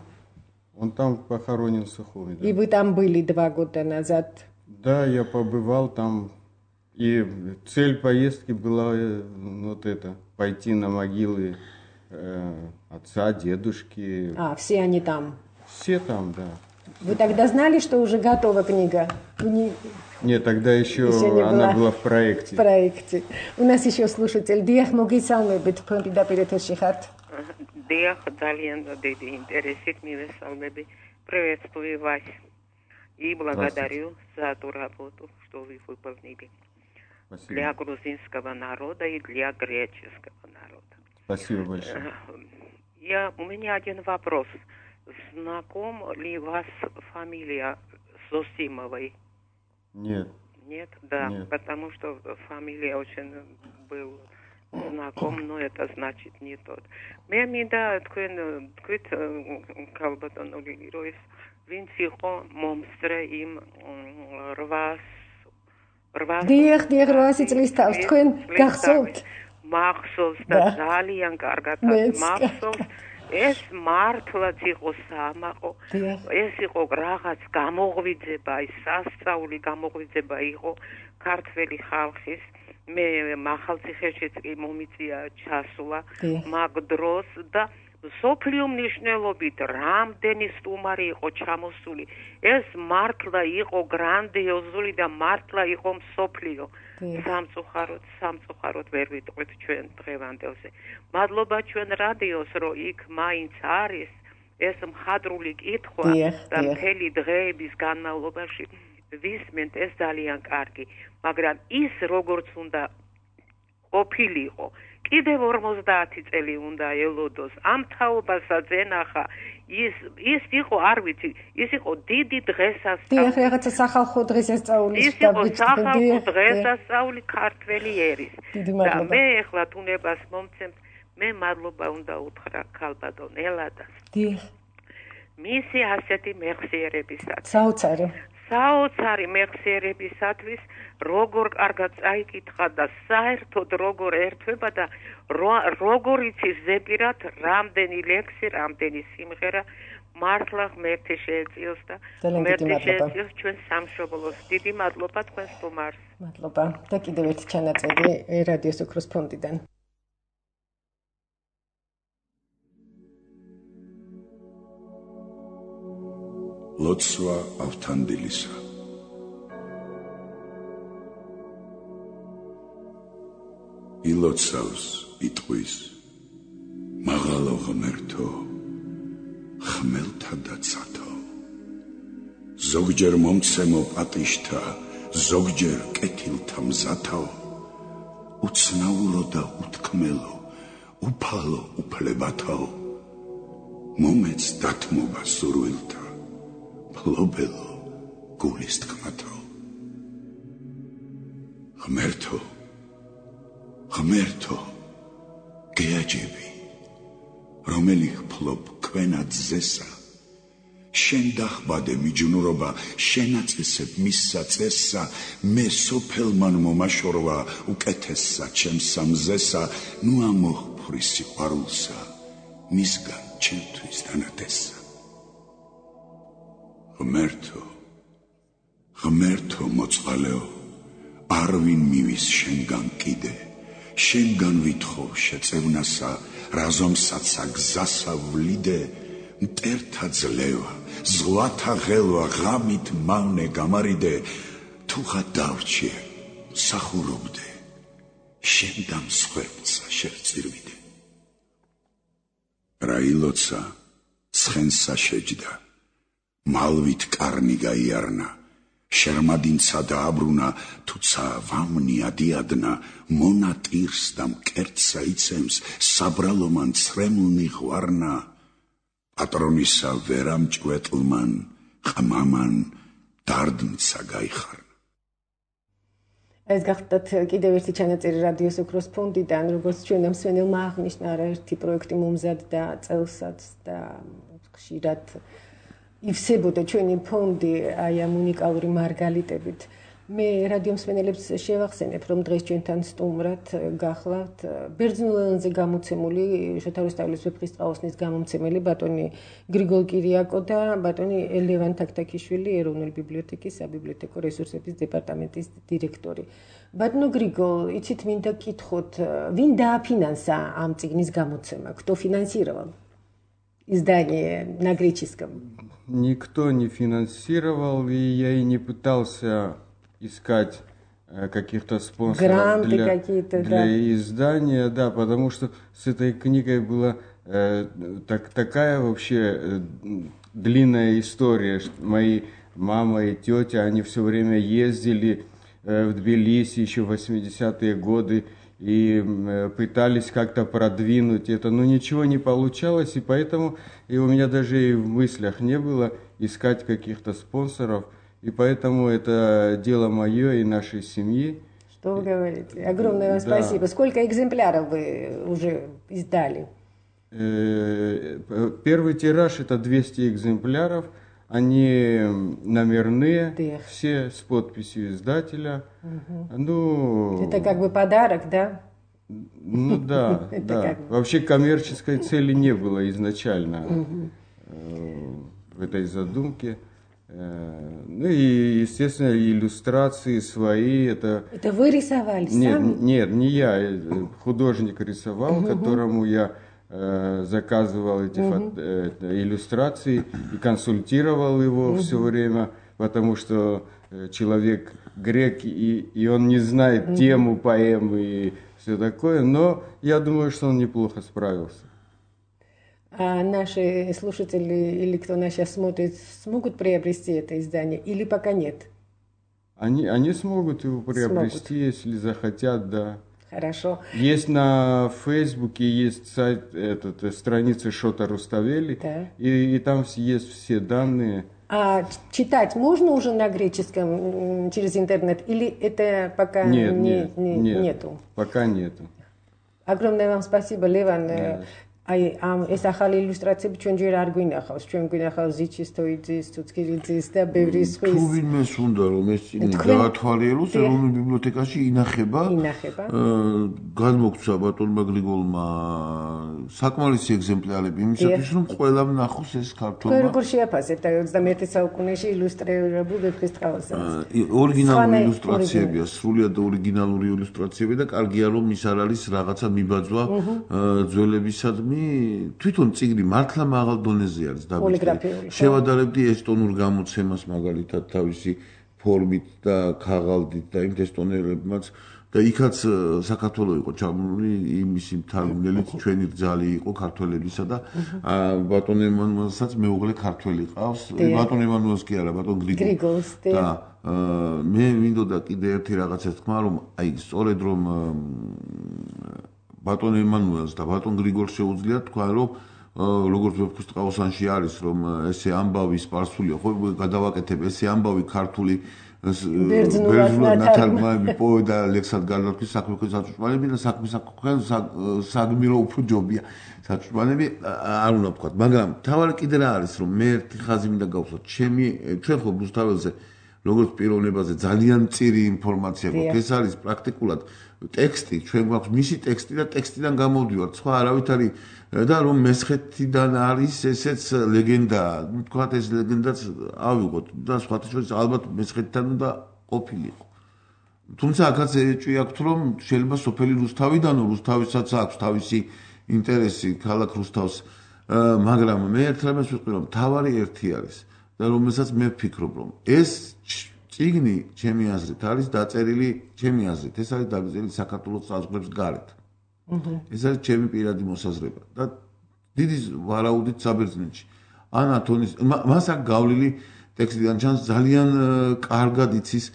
S3: Он там похоронен в Сухуми. Да.
S2: И вы там были два года назад.
S3: Да, я побывал там. И цель поездки была вот это, пойти на могилы э, отца, дедушки.
S2: А, все они там.
S3: Все там, да.
S2: Вы тогда знали, что уже готова книга? Не...
S3: Нет, тогда еще,
S2: еще не
S3: она
S2: была
S3: была в проекте.
S2: В проекте. У нас еще слушатель. Диах Могисалмебит, Пампидапиритошихат.
S9: Диах Далиан, Деди, интересит Мивесалмеби. Приветствую вас. И благодарю за ту работу, что вы выполнили.
S3: Спасибо.
S9: Для грузинского народа и для греческого народа.
S3: Спасибо большое.
S9: Я, у меня один вопрос. Знаком ли вас фамилия Зосимовой?
S3: Нет.
S9: Нет, да,
S3: Нет.
S9: потому что фамилия очень был знаком, но это значит не тот. Მე მინდა თქვენ თქვით კალბატონული როის ვინც იყო მომსწრე იმ რვას რვას
S2: დიახ, დიახ, რვასი წლის თავს თქვენ გახსოვთ?
S9: მახსოვს და ძალიან კარგად მახსოვს. ეს მართლაც იყო სამაყო. ეს იყო რაღაც გამოღვიძება, ის სასწაული გამოღვიძება იყო ქართველი ხალხის. მე მახალციხეშიც კი მომიწია ჩასვლა მაგ დროს და სოფლიო მნიშვნელობით რამდენი სტუმარი იყო ჩამოსული. ეს მართლა იყო გრანდიოზული და მართლა იყო მსოფლიო. სამწუხაროდ, სამწუხაროდ ვერ ვიტყვით ჩვენ დღევანდელზე. მადლობა ჩვენ რადიოს, რომ იქ მაინც არის ეს მხატვრული კითხვა და მთელი დღეების განმავლობაში ვისმენთ, ეს ძალიან კარგი, მაგრამ ის როგორც უნდა ყოფილიყო, კიდევ ორმოცდაათი წელი უნდა ელოდოს, ამ თაობასაც ენახა, ის ის იყო, არ ვიცი, ის იყო დიდი დღესასწაული.
S2: დიახ, რაღაცა სახალხო დღესასწაულის
S9: ის იყო სახალხო დღესასწაული ქართველი ერის. და მე ეხლა თუნებას მომცემთ, მე მადლობა უნდა უთხრა ქალბატონ ელადას.
S2: დიახ.
S9: მისი ასეთი მეხსიერებისათვის.
S2: საოცარი.
S9: საოცარი მეხსიერებისათვის, როგორ კარგად წაიკითხა და საერთოდ როგორ ერთვება და როგორ იცის ზეპირად რამდენი ლექსი, რამდენი სიმღერა მართლა ღმერთი შეეწიოს და ღმერთი შეეწიოს ჩვენ სამშობლოს. დიდი მადლობა თქვენ სტუმარს.
S2: მადლობა. და კიდევ ერთი ჩანაწერი რადიოს ოქროს ფონდიდან.
S10: ლოცვა ავთანდილისა. ილოცავს იტყვის მაღალო ღმერთო, ხმელთა და ცათო ზოგჯერ მომცემო პატიშთა ზოგჯერ კეთილთა მზათაო უცნაურო და უთქმელო უფალო უფლებათაო მომეც დათმობა სურვილთა ფლობელო გულის თქმათაო ღმერთო ღმერთო გეაჯები რომელი ხფლობ ქვენად ზესა შენ დახბადე მიჯნურობა შენაწესებ მისსა წესსა მე სოფელმან მომაშორვა უკეთესსა ჩემსა მზესა ნუ ამოხფრი სიყვარულსა მისგან ჩემთვის დანათესსა ღმერთო ღმერთო მოწყალეო არ ვინ მივის შენგან კიდე შენგან ვითხოვ შეწევნასა რაზომსაცა გზასა ვლიდე მტერთა ძლევა ზღვათა ღელვა ღამით მავნე გამარიდე თუღა დავრჩიე სახურობდე შენ დამსხვერპლსა შევწირვიდე რა ილოცა ცხენსა შეჯდა მალვით კარნი გაიარნა შერმადინცა დააბრუნა თუცა ვამნი ადიადნა მონა ტირს და მკერდსა იცემს საბრალომან ცრემლნი ღვარნა პატრონისა ვერამჭვეტლმან ყმამან დარდნცა გაიხარნა
S2: ეს გახდათ კიდევ ერთი ჩანაწერი რადიოს ოქროს ფონდიდან როგორც ჩვენ მსმენელმა აღნიშნა არაერთი პროექტი მომზადდა წელსაც და ხშირად ივსებოდა ჩვენი ფონდი აი ამ უნიკალური მარგალიტებით. მე რადიო მსმენელებს შევახსენებ, რომ დღეს ჩვენთან სტუმრად გახლავთ ბერძნულ ენაზე გამოცემული შოთა რუსთაველის ვეფხისტყაოსნის გამომცემელი ბატონი გრიგოლ კირიაკო და ბატონი ლევან თაქთაქიშვილი ეროვნული ბიბლიოთეკის საბიბლიოთეკო რესურსების დეპარტამენტის დირექტორი. ბატონო григол, იცით მინდა გკითხოთ, ვინ დააფინანსა ამ წიგნის გამოცემა? Кто финансировал издание на греческом?
S3: Никто не финансировал, и я и не пытался искать каких-то спонсоров
S2: Гранты
S3: для,
S2: какие-то,
S3: для
S2: да.
S3: издания, да, потому что с этой книгой была э, так, такая вообще э, длинная история, что мои мама и тетя, они все время ездили э, в Тбилиси еще в восьмидесятые годы и э, пытались как-то продвинуть это, но ничего не получалось, и поэтому и у меня даже и в мыслях не было искать каких-то спонсоров. И поэтому это дело мое и нашей семьи.
S2: Что вы говорите? Огромное вам да. спасибо. Сколько экземпляров вы уже издали?
S3: Первый тираж это двести экземпляров. Они номерные, Дэх. все с подписью издателя. Угу. Ну,
S2: это как бы подарок, да?
S3: Ну да, да. Вообще коммерческой цели не было изначально в этой задумке. Ну и, естественно, иллюстрации свои. Это,
S2: это вы рисовали
S3: нет,
S2: сами?
S3: Нет, не я. Художник рисовал, угу. которому я э, заказывал эти угу. фото, э, иллюстрации и консультировал его угу. все время, потому что э, человек грек, и, и он не знает угу. тему поэмы и все такое. Но я думаю, что он неплохо справился.
S2: А наши слушатели или кто нас сейчас смотрит, смогут приобрести это издание или пока нет?
S3: Они, они смогут его приобрести, смогут. Если захотят, да.
S2: Хорошо.
S3: Есть на Фейсбуке, есть сайт, этот, страница Шота Руставели, да. и, и там есть все данные.
S2: А читать можно уже на греческом через интернет или это пока
S3: нет,
S2: не,
S3: нет,
S2: не,
S3: нет,
S2: нету?
S3: Пока нету.
S2: Огромное вам спасибо, Леван. Да. აი ამ ეს ახალი ილუსტრაციები ჩვენ ჯერ არ გვინახავს, ჩვენ გვინახავს ზიჩისტოიძის, თუცქირიძის და ბევრი სხვის.
S4: თუ ვინმეს უნდა რომ ეს წიგნი გაათვალიეროს ეროვნულ ბიბლიოთეკაში ინახება.
S2: ინახება.
S4: განმოგცვა ბატონმა გრიგოლმა საკმარისი ეგზემპლარები იმისათვის რომ ყველამ ნახოს ეს ქართულმა.
S2: თქვენ როგორ შეაფასებთ აი ოცდამეერთე საუკუნეში ილუსტრირებულ ვეფხისტყაოსანს?
S4: ორიგინალური ილუსტრაციებია, სრულიად ორიგინალური ილუსტრაციები და კარგია რომ ის არ არის რაღაცა მიბაძვა ძველებისადმი თვითონ წიგნი მართლა მაღალ დონეზე არის
S2: დაბეჭდილი.
S4: შევადარებდი ესტონურ გამოცემას მაგალითად თავისი ფორმით და ქაღალდით და იმ ესტონელებმაც და იქაც საქართველო იყო ჩაბმული იმისი მთარგმნელიც ჩვენი რძალი იყო ქართველებისა და ბატონ ემანუელსაც მეუღლე ქართველი ყავს ბატონ ემანუელს კი არა ბატონ გრიგოლს და მე მინდოდა კიდე ერთი რაღაცა თქვა რომ აი სწორედ რომ ბატონ ემანუელს და ბატონ გრიგოლს შეუძლია თქვა რომ როგორც ვეფხისტყაოსანში არის რომ ესე ამბავი სპარსულია ხო გადავაკეთებ ესე ამბავი ქართული ბერძნულად ნათარგმნები პოე და ლექსად გადართვის საქმე საჭმელები და საქმე საგმირო უფრო ჯობია საჭმელები არ უნდა ვთქვა მაგრამ თავარი კიდე რა არის რომ მე ერთი ხაზი მინდა გავუსვათ ჩემი ჩვენ ხო რუსთაველზე როგორც პიროვნებაზე ძალიან მწირი ინფორმაცია გვაქვს ეს არის პრაქტიკულად ტექსტი ჩვენ გვაქვს მისი ტექსტი და ტექსტიდან გამოვდივართ სხვა არავით არის და რომ მესხეთიდან არის ესეც ლეგენდა თქვა ეს ლეგენდაც ავიღოთ და სხვათა შორის ალბათ მესხეთიდან უნდა ყოფილიყო თუმცა აქაც ეჭვი აქვს რომ შეიძლება სოფელი რუსთავიდანო რუსთავისაც აქვს თავისი ინტერესი ქალაქ რუსთავს მაგრამ მე ერთ რამეს ვიტყვი რომ თავარი ერთი არის და რომელსაც მე ვფიქრობ რომ ეს წიგნი ჩემი აზრით არის დაწერილი ჩემი აზრით ეს არის დაწერილი საქართველოს საზღვრებს გარეთ ეს არის ჩემი პირადი მოსაზრება და დიდი ვარაუდით საბერძნეთში ან ათონის მას აქ გავლილი ტექსტიდან ჩანს ძალიან კარგად იცის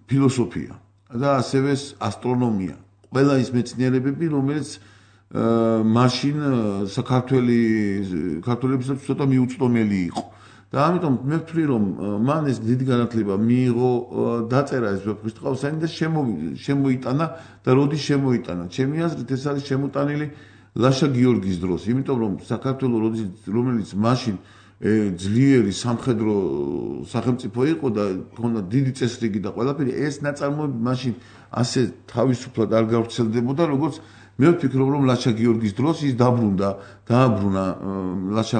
S4: ფილოსოფია და ასევე ასტრონომია ყველა ის მეცნიერებები რომელიც მაშინ საქართველი ქართველებისაც ცოტა მიუწვდომელი იყო და ამიტომ მე ვთვლი რომ მან ეს დიდი განათლება მიიღო დაწერა ეს ვეფხისტყაოსანი და შემოიტანა და როდის შემოიტანა ჩემი აზრით ეს არის შემოტანილი ლაშა გიორგის დროს იმიტომ რომ საქართველოს როდის რომელიც მაშინ ძლიერი სამხედრო სახელმწიფო იყო და ქონდა დიდი წესრიგი და ყველაფერი ეს ნაწარმოები მაშინ ასე თავისუფლად არ გავრცელდებოდა როგორც მე ვფიქრობ რომ ლაშა გიორგის დროს ის დაბრუნდა დააბრუნა ლაშა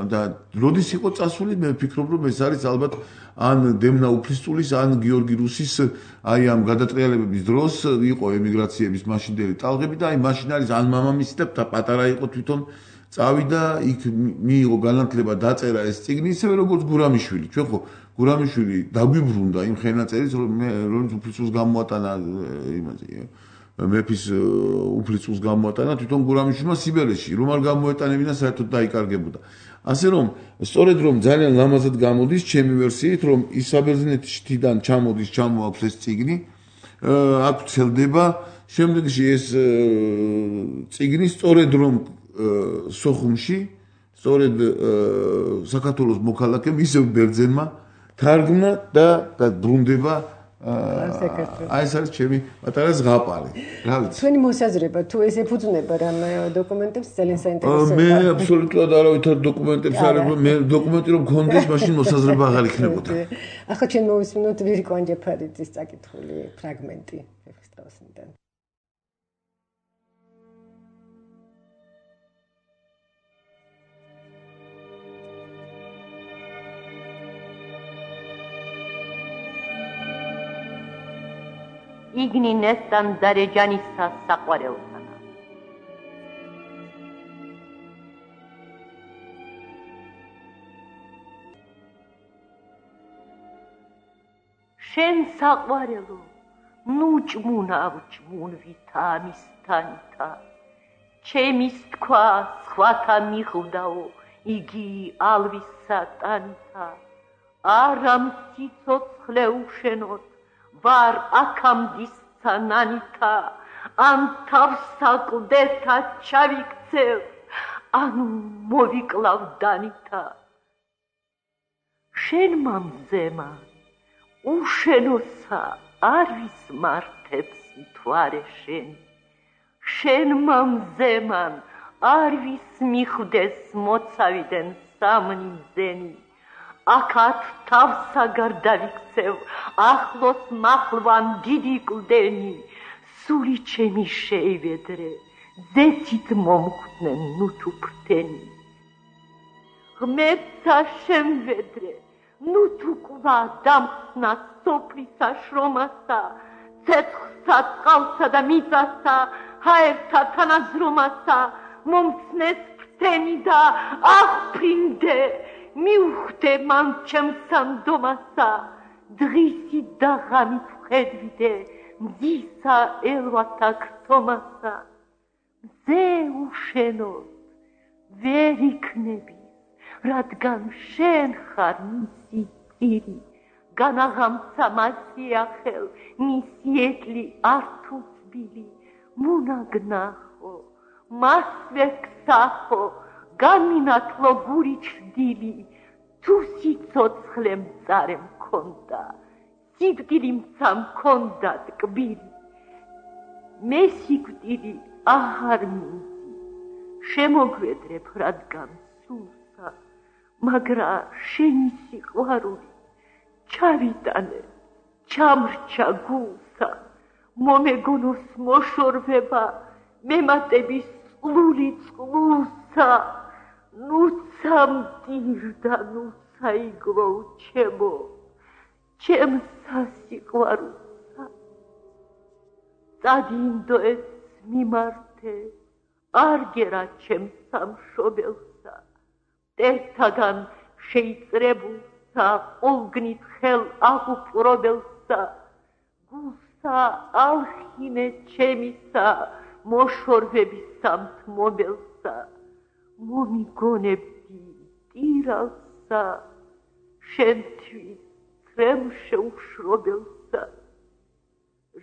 S4: და როდის იყო წასული მე ვფიქრობ რომ ეს არის ალბათ ან დემნა უფლისწულის ან გიორგი რუსის აი ამ გადატრიალებების დროს იყო ემიგრაციების მაშინდელი ტალღები და აი მაშინ არის ან მამამისი და პატარა იყო თვითონ წავიდა იქ მიიღო განათლება დაწერა ეს წიგნი ისევე როგორც გურამიშვილი ჩვენ ხო გურამიშვილი დაგვიბრუნდა იმ ხელნაწერის რომელიც უფლისწულს გამოატანა იმაზე მეფის უფლისწულს გამოატანა თვითონ გურამიშვილმა სიბერეში რომ არ გამოეტანებინა საერთოდ დაიკარგებოდა ასე რომ სწორედ რომ ძალიან ლამაზად გამოდის ჩემი ვერსიით რომ ის საბერძნეთიდან ჩამოდის ჩამოაქვს ეს წიგნი აქ ვრცელდება შემდეგში ეს წიგნი სწორედ რომ სოხუმში სწორედ საქართველოს მოქალაქემ ისევ ბერძენმა თარგმნა და დაბრუნდება აი ეს არის ჩემი პატარა ზღაპარი რა ვიცი
S2: თქვენი მოსაზრება თუ ეს ეფუძნება რამ დოკუმენტებს ძალიან საინტერესოა
S4: მე აბსოლუტურად არავითარ დოკუმენტებს არ მე დოკუმენტი რომ გქონდეს მაშინ მოსაზრება აღარ იქნებოდა
S2: ახლა ჩვენ მოვისმინოთ ვირიკო ანჯაფარიძის წაკითხული ფრაგმენტი ვეფხისტყაოსნიდან
S11: იგნინესთან დარეჯანისა საყვარელთანა. შენ საყვარელო, ნუ ჭმუნავ ჭმუნ ვითამისთანთა, ჩემის თქვა სხვათა მიხვდაო, იგი ალვის სატანთა, არა მციცოცხლე უშენოთ, ვარ აქამდის სანანითა ან თავსაკლდეთა ჩავიქცევ ანუ მოვიკლავ დანითა შენ მამზემა უშენოსა არ ვისმართებს მთვარე შენ შენ მამზემან არ ვისმიხვდეს მოცავიდან სამნი მზენი აქათ თავსაგარ დავიქცევ ახლოს მახლვან დიდი კლდენი სული ჩემი შეივედრე ზეთით მომხვდნენ ნუ თუ ფრთენი ღმერთსა შემვედრე ნუ თუ ყვა დამხსნა სოფლისა შრომასა ცეცხლსა წყალსა და მიწასა ჰაერთა თანაზრომასა მომცნეს ფრთენი და აღფრინდე მიუხვდე მან ჩემს სანდომასა დღისი და ღამით ხედვიდე მზისა ელვათა ქრთომასა მზე უშენოდ ვერ იქნები რადგან შენ ხარ მისი ძირი განაღამცა მასი ახელ მისი ეტლი არ თუ თბილი მუნაგნახო მასვე ქსახო გამინათლო გური ჩრდილი თუ სიცოცხლე მწარე მქონდა სიდგილი მცა მქონდა ტკბილი მე სიკვდილი აღარ მინდი შემოგვედრებ რადგან სულსა მაგრა შენი სიყვარული ჩავიტანე ჩამრჩა გულსა მომეგონოს მოშორვება მემატების წყლული წყლულსა ნუცა მტირდა ნუცა იგლო ჩემო ჩემსა სიყვარულსა წადინდოეც მიმართე არ გერა ჩემ სამშობელსა ერთაგან შეიწრებულსა ყოლგნით ხელ აღუპყრობელსა გულსა ალხინე ჩემისა მოშორვების სამთმობელსა მომიგონებდი ტირალსა შენთვის ცრემ შეუშრობელსა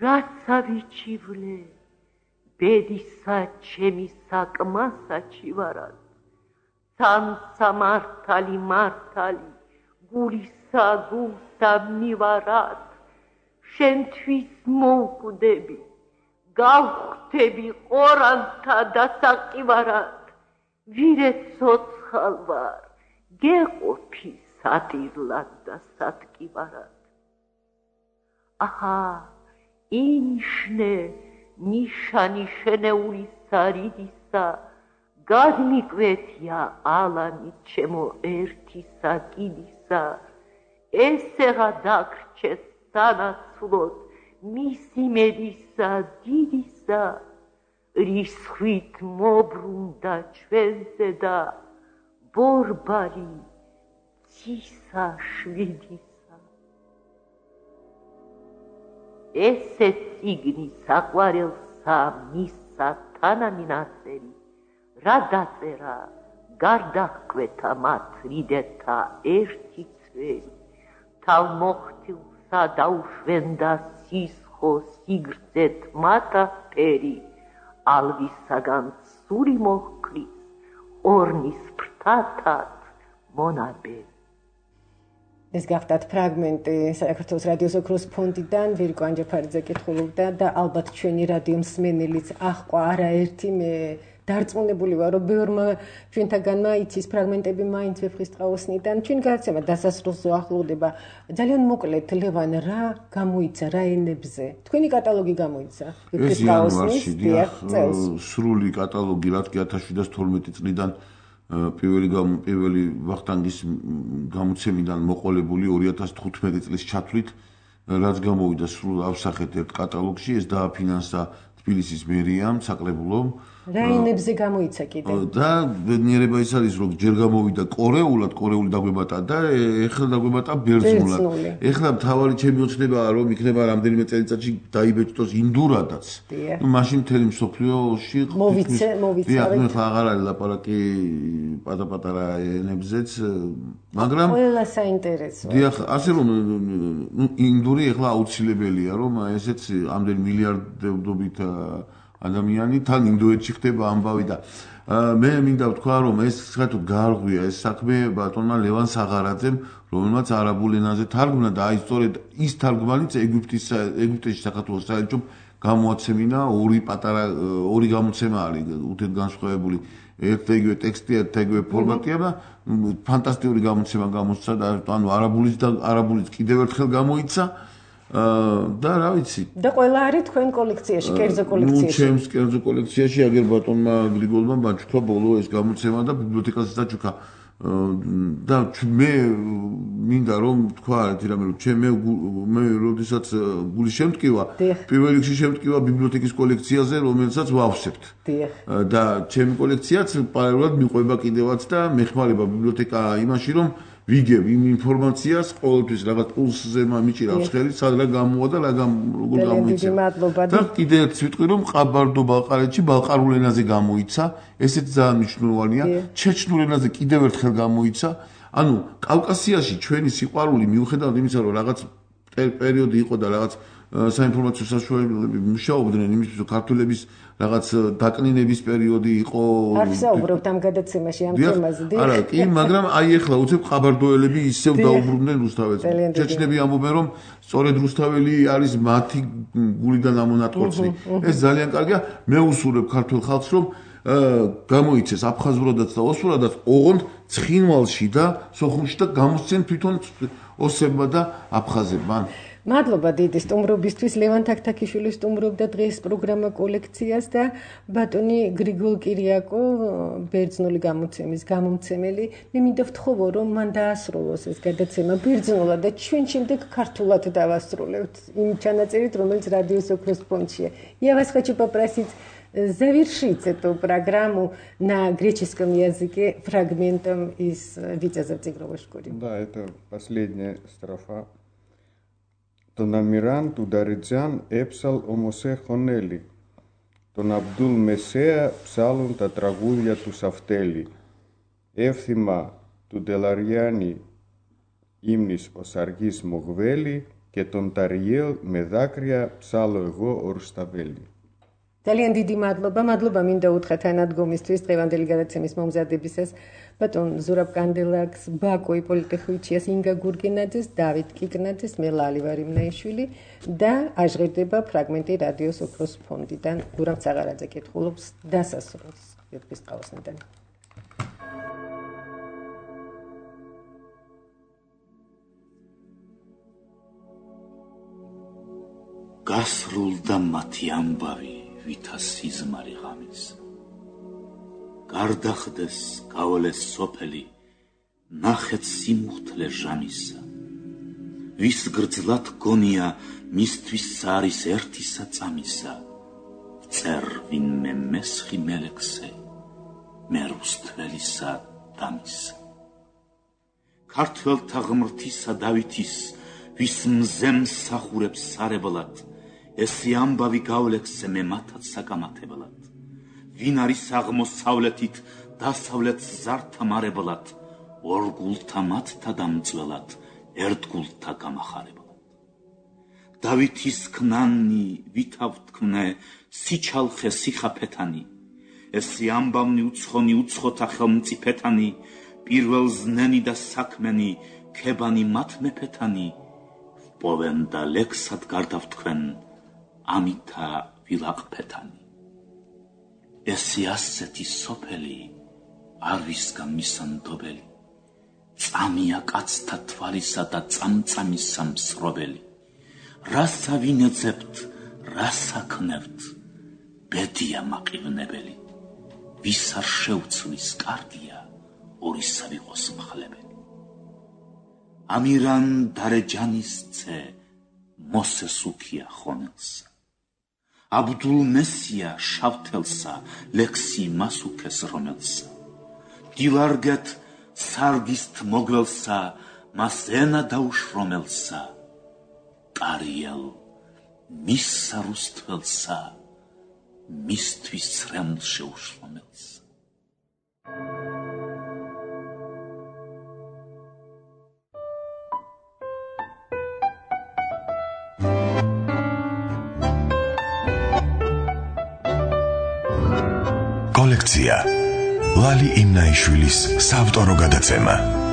S11: რაც ავიჩივლე ბედისა ჩემი საკმასა ჩივარად სანსა მართალი მართალი გულისა გულსა მივარად შენთვის მოვკვდები გავხვდები ყორანთა დასაყივარად ვირე ცოცხალ ვარ გეყოფი სატირლად და სატკივარად აჰა ინიშნე ნიშანი შენეულისა რიდისა გადმიკვეთია ალანი ჩემო ერთისა კიდისა ესეღა დაგრჩეს სანაცვლოდ მისი მედისა დიდისა რის ხვით მობრუნდა ჩვენზე და ბორბალი ცისა შვიდისა ესე წიგნი საყვარელსა მისსა თანამინაწერი რა დაწერა გარდაჰკვეთა მათ რიდეთა ერთი წვერი თავმოხტილსა დაუშვენდა სისხო სიგრძეთ მათა ფერი ალვისაგან სული მოჰკლის ორნის ფრთათად მონაბერი
S2: ეს გახდათ ფრაგმენტი საქართველოს რადიოს ოქროს ფონდიდან ვირკო ანჯაფარიძე კითხულობდა და ალბათ ჩვენი რადიო მსმენელიც აჰყვა არაერთი მე დარწმუნებული ვარ რომ ბევრმა ჩვენთაგანმა იცის ფრაგმენტები მაინც ვეფხისტყაოსნიდან ჩვენ გადაცემა დასასრულს ახლოვდება ძალიან მოკლედ ლევან რა გამოიცა რა ენებზე თქვენი კატალოგი გამოიცა ვეფხისტყაოსნის წელს
S4: სრული კატალოგი რადგან ათას შვიდსათ თორმეტი წლიდან პირველი პირველი ვახტანგის გამოცემიდან მოყოლებული ორი ათას თხუთმეტი წლის ჩათვლით რაც გამოვიდა სრულ ავსახეთ ერთ კატალოგში ეს დააფინანსა თბილისის მერიამ საკრებულომ
S2: რა ენებზე გამოიცა კიდე
S4: და ბედნიერება ის არის რომ ჯერ გამოვიდა კორეულად კორეული დაგვემატა და ეხლა დაგვემატა ბერძნულად ეხლა მთავარი ჩემი ოცნებაა რომ იქნება რამდენიმე წელიწადში დაიბეჭდოს ინდურადაც ну მაშინ მთელი მსოფლიოში
S2: მოვიცე მოვიცე
S4: ну ეხლა აღარ არის ლაპარაკი პატაპატარა ენებზეც მაგრამ
S2: ყველა საინტერესოა
S4: დიახ ასე რომ ну ინდური ეხლა აუცილებელია რომ ესეც ამდენ მილიარდობით ადამიანი თან ინდოეთში ხდება ამბავი და მე მინდა ვთქვა რომ ეს საერთოდ გაარღვია ეს საქმე ბატონმა ლევან საღარაძემ რომელმაც არაბულ ენაზე თარგმნა და აი სწორედ ის თარგმანიც ეგვიპტის ეგვიპტეში საქართველოს საელჩომ გამოაცემინა ორი პატარა ორი გამოცემა არის უთეთ განსხვავებული ერთ ეგრე ტექსტი ერთ ეგრე ფორმატია და ფანტასტიკური გამოცემა გამოსცა და ანუ არაბულის და არაბულის კიდევ ერთხელ გამოიცა და რა ვიცი
S2: და ყველა არის თქვენ კოლექციაში კერძო კოლექციაში
S4: ნუ ჩემს კერძო კოლექციაში აგერ ბატონმა გრიგოლმა ბაჩქვა ბოლო ეს გამოცემა და ბიბლიოთეკაზე დაჩუქა და მე მინდა რომ თქვა ერთი რამე რომ ჩემ მე როდესაც გული შემტკივა პირველ რიგში შემტკივა ბიბლიოთეკის კოლექციაზე რომელსაც ვავსებთ და ჩემი კოლექციაც პარალელურად მიყვება კიდევაც და მეხმარება ბიბლიოთეკა იმაში რომ ვიგებ იმ ინფორმაციას, ყოველთვის რაღაც პულსზე მიჭირავს ხელი, სად რა გამოვა და რა როგორ გამოიცა. და კიდევ ერთ ვიტყვი რომ ყაბარდო ბალყარეთში ბალყარულ ენაზე გამოიცა, ესეც ძალიან მნიშვნელოვანია. ჩეჩნურ ენაზე კიდევ ერთხელ გამოიცა. ანუ კავკასიაში ჩვენი სიყვარული მიუხედავად იმისა, რომ რაღაც პერიოდი იყო და რაღაც საინფორმაციო საშუალებები მუშაობდნენ იმისთვის, რომ ქართველების რაღაც დაკნინების პერიოდი იყო.
S2: არ ვსაუბრობთ ამ გადაცემაში ამ თემაზე.
S4: არა, კი, მაგრამ აი ახლა უცებ ყაბარდოელები ისევ დაუბრუნდნენ რუსთაველს. ჩეჩნები ამბობენ, რომ სწორედ რუსთაველი არის მათი გულიდან ამონატყორცი. ეს ძალიან კარგია. მე უსურვებ ქართულ ხალხს, რომ გამოიცეს აფხაზურადაც და ოსურადაც, ოღონდ ცხინვალში და სოხუმში და გამოსცენ თვითონ ოსებმა და აფხაზებმა.
S2: მადლობა დიდი სტუმრობისთვის. ლევან თაქთაქიშვილი სტუმრობდა დღეს პროგრამა კოლექციას და ბატონი გრიგოლ კირიაკო, ბერძნული გამოცემის გამომცემელი. მე მინდა ვთხოვო, რომ ман დაასრულოს ეს гадაცემა ბერძნულად და ჩვენ შემდეგ ქართულად დავასრულებთ იმ ჩანაწერით, რომელიც радио Сокрос фондშია. Я вас хочу попросить завершить эту программу на греческом языке фрагментом из Витязя в тигровой шкуре.
S3: Да, это последняя строфа. Τον Αμυράν του Νταριτζάν έψαλ ομοσέ χωνέλη. Τον Αμπτούλ Μεσέα ψάλουν τα τραγούδια του Σαφτέλη. Εύθυμα του Ντελαριάνη ύμνης ο Σαργής Μογβέλη και τον Ταριέλ με δάκρυα ψάλω εγώ ο Ρουσταβέλη.
S2: ძალიან დიდი მადლობა, მადლობა მინდა უთხრა თანადგომისთვის დღევანდელი გადაცემის მომზადებისას ბატონ ზურაბ კანდელაკს, ბაკო იპოლიტე-ხვიჩიას, ინგა გურგენაძეს, დავით კიკნაძეს, მე ლალი ვარ იმნაიშვილი და აჟღერდება ფრაგმენტი რადიო სოფროს ფონდიდან. გურამ ცაღარაძე კითხულობს დასასრულს ვერცხლისწყალოსნიდან.
S6: გასრულდა მათი ამბავი ვითა სიზმარი ღამის. გარდახდეს გაოლეს სოფელი, ნახეთ სიმუხთლე ჟამისა. ვის გრძლად გონია მისთვის არის ერთისა წამისა. წერ ვინმე მესხი მელექსე, მე რუსთველისა დამისა. ქართველთა ღმრთისა დავითის, ვის მზემ სახურებს სარებლად, ესი ამბავი გავლექსე მე მათაც საკამათებლად. ვინ არის აღმოსავლეთით დასავლეთ ზართა მარებლად, ორ გულთა მათთა დამწველად, ერთ გულთა გამახარებლად. დავითის ქნანი ვითავ თქმნე, სიჩალხე სიხაფეთანი, ესი ამბავნი უცხონი უცხოთა ხელმწიფეთანი, პირველ ზნენი და საქმენი, ქებანი მათ მეფეთანი, ვპოვენ და ლექსად გარდავ თქვენ, ამითა ვილაყფეთანი. ესი ასეთი სოფელი, არ ვისგან მისანდობელი, წამია კაცთა თვალისა და წამწამისა მსრობელი. რასა ვინეძებთ, რასა ქნევთ, ბედია მაყივნებელი, ვის არ შეუცვლის კარგია, ორისა ვიყოს მხლებელი. ამირან დარეჯანის ძე, მოსეს უქია ხონელსა. აბდულ მესია შავთელსა, ლექსი მას უქეს რომელსა. დილარგეთ სარგისთ მოგველსა, მას ენა დაუშრომელსა. ტარიელ მისსა რუსთველსა, მისთვის ცრემლ შეუშრომელსა.
S1: კოლექცია ლალი იმნაიშვილის საავტორო გადაცემა.